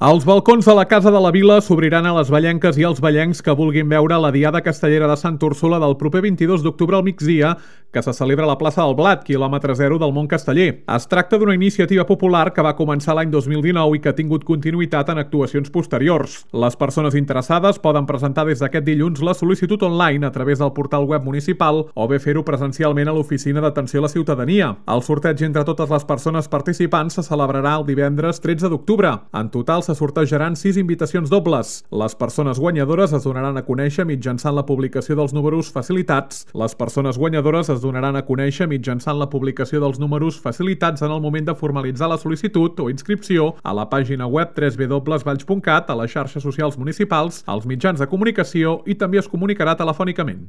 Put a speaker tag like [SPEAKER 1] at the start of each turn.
[SPEAKER 1] Els balcons de la Casa de la Vila s'obriran a les vallenques i als vallencs que vulguin veure la Diada Castellera de Sant Úrsula del proper 22 d'octubre al migdia, que se celebra a la plaça del Blat, quilòmetre 0 del Mont Casteller. Es tracta d'una iniciativa popular que va començar l'any 2019 i que ha tingut continuïtat en actuacions posteriors. Les persones interessades poden presentar des d'aquest dilluns la sol·licitud online a través del portal web municipal o bé fer-ho presencialment a l'Oficina d'Atenció a la Ciutadania. El sorteig entre totes les persones participants se celebrarà el divendres 13 d'octubre. En total se sortejaran 6 invitacions dobles. Les persones guanyadores es donaran a conèixer mitjançant la publicació dels números facilitats. Les persones guanyadores es donaran a conèixer mitjançant la publicació dels números facilitats en el moment de formalitzar la sol·licitud o inscripció a la pàgina web www.valls.cat, a les xarxes socials municipals, als mitjans de comunicació i també es comunicarà telefònicament.